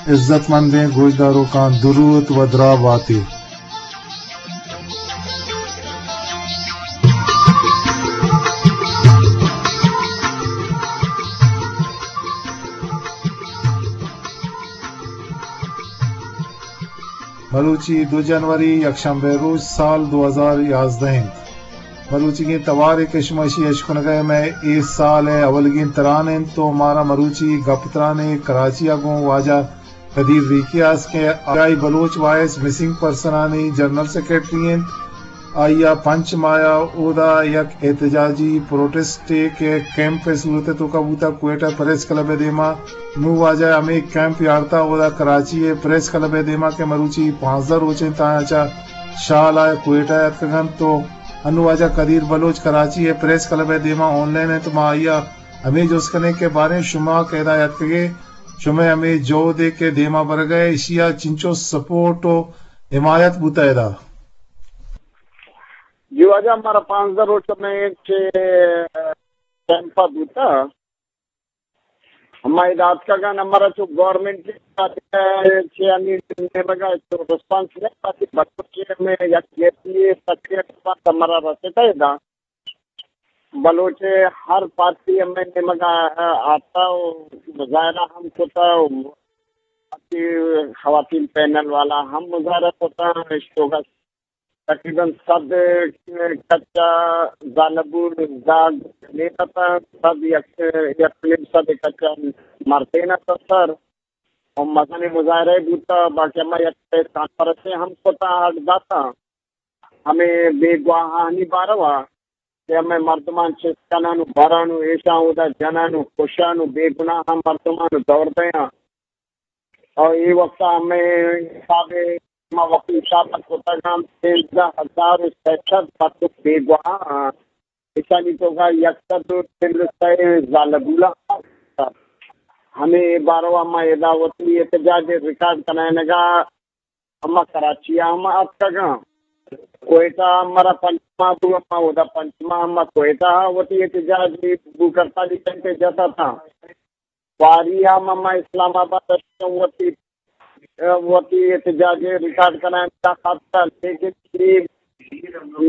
عزت مندیں گوشداروکاں درود و دراہ باتے۔ مروچی دو جنوری، یکشنبہ روچ، سال دو ہزار یازدہ انت۔ مروچیگیں توارے کہ شما اشی اشکنگا مئے اے سال ء اولگیں تران انت تو مارا مروچی گپ ترانے کراچی ء گوں واجہ قدیر ریکی است کہ آئی بلوچ وائس مسنگ پرسنانی جنرل سیکرٹری انت۔ آئی ء پنچ ماہ ء اودا یک احتجاجی پروٹسٹے کہ کیمپ ء صورت ء توکا بوتا کوئٹہ پریس کلب ء دیما۔ نوں واجہ ہمے کیمپ یارتا اودا کراچی ء پریس کلب ء دیما کہ مروچی پانزدہ روچ انت آیاں چہ شال ء کوئٹہ ء اتکگ انت تو انوں واجہ قدیر بلوچ کراچی ء پریس کلب ء دیما آن لائن انت۔ ما آئی ء ہمے جست کنیں کہ باریں شما کہ ادا اتکگے، شمئے ہمے جہد ء کہ دیما برگ ء ایشی ء چنچو سپورٹ و حمایت بوتہ ادا؟ جی واجہ، مارا پانزدہ روچ میں چہ کیمپ ء بوتہ۔ ہما ادا اتکگاں، ہمارا چو گورنمنٹ چہ ہمے نیمگا چو ریسپانس نہیں پاتی، بلوچ میں یکجہتی سکریٹ ہمارا رسیتا ادا۔ بلوچ ہر پارٹی ہمے نیمگا آتا و مظاہرہ ہم کتا و خواتین پینل والا ہم مظاہرہ کتا، اشتوگا تقریباً صد کچا زالبول زاگ نیتاں، صد یک، یک نیم صد کچا مردین ات سر۔ و مزنیں مظاہرہ بوتا، باقی ہما یک کانفرنس ہم کتا، اڈ داتا۔ ہمے بیگواہانی باروا کہ ہمے مردمان چست کنن و برن و ایشاں اودا جنن و کشن و بے گناہ مردمان و دور دیاں۔ اور اے وقت ہمے حساب ما وقت حساب کتگاں سیزدہ ہزار و سئے سد پتک بیگواہ آں۔ ایشانی توکا یک سد و چل و سئے زالبولا۔ ہمے باروا ما ادا وتی احتجاج ریکارڈ کنائینگا ہما کراچی ء ہم اتکگاں۔ کوئٹہ ء ہمارا پنچ ماہ بو، ہما اودا پنچ ماہ ہما کوئٹہ ء وتی احتجاج بھوک ہڑتالی کنتے جتا تھا۔ پاری ء ہم ہما اسلام آباد ء وتی، وتی احتجاج ریکارڈ کنائینتا خاطر، لیکن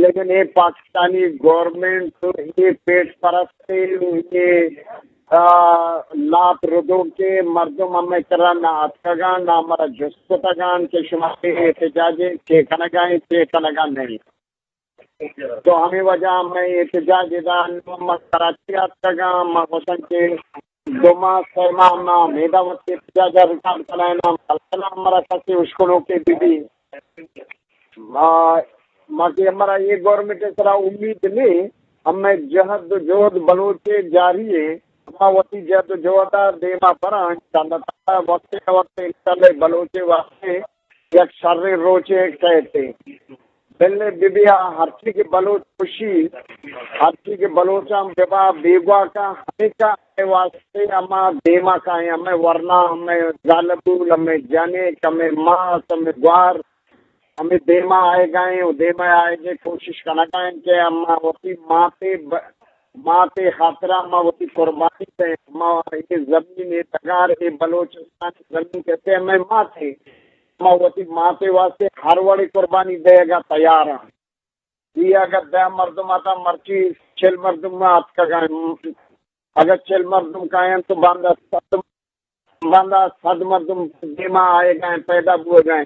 لیکن اے پاکستانی گورنمنٹ، اے پیٹ پرست، اے، آ، لاپ ردوکیں مردم ہمے کرا نہ اتکگاں، نہ ہمارا جست کتگاں کہ شما اے احتجاج چے کنگا ایں، چے کنگا نہیں۔ تو ہمے وجہ ہمے احتجاج ادا ما کراچی اتکگاں، ما گوشن کہ دو ماہ، سئے ماہ ما امیدا وتی احتجاج ء ریکارڈ کنائیناں، بلکنا ہمارا کسی اشکنوکے بہ بی۔ ما، ما کہ ہمارا اے گورنمنٹ ء سرا امید نہیں، ہمے جہد و جہد بلوچ ء جاری ہے، ما وتی جہد و جہد ء دیما براں، انشاءاللہ تعالی وقت نہ وقت انشاءاللہ بلوچ ء واسطے یک شریں روچے کئیت۔ بلے بہ بیا ہرچی کہ بلوچ خوشی، ہرچی کہ بلوچاں ببا بیگواہ کا ہمیشہ ہمے واسطے ہما دیما کائیں، ہمے ورنا، ہمے زالبول، ہمے جنک، ہمے ماس، ہمے گوار، ہمے دیما آئیگائیں و دیما آئیگے کوشش کنگائیں کہ ہما وتی ماتے ب-، ماتے خاطرا ما وتی قربانی دیں، ما اے زمین، اے ڈگار، اے بلوچستان زمین کہتے ہمے ماتے، ما وتی ماتے واسطے ہر وڑے قربانی دیگا تیار ہیں۔ یہ اگر دہ مردم آتا، مرچی چل مردم اتکگا، اگر چل مردم کائیں تو باندا صد، باندا صد مردم دیما آئیگا، پیدا بوگا۔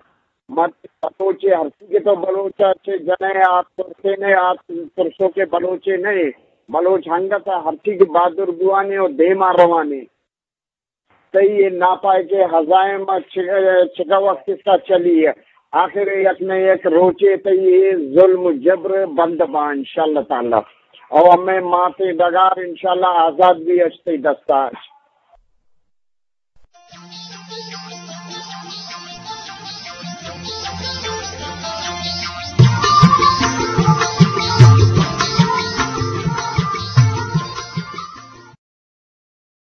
مرچی بلوچے ہرچی کہ تو بلوچا چے جنے آت ترسے نے، آت ترسو کے بلوچے نہیں۔ بلوچ ہنگتا ہرچی کہ بہادر بوانے و دیما روانے۔ تئی اے ناپائکیں عزائم چہ، چکا وقت تک چلی ہے۔ آخر یک نہ یک روچے تئی اے ظلم و جبر بند با انشاءاللہ تعالی۔ او ہمے ماتے ڈگار انشاءاللہ آزاد بی اچ تئی دستا اچ۔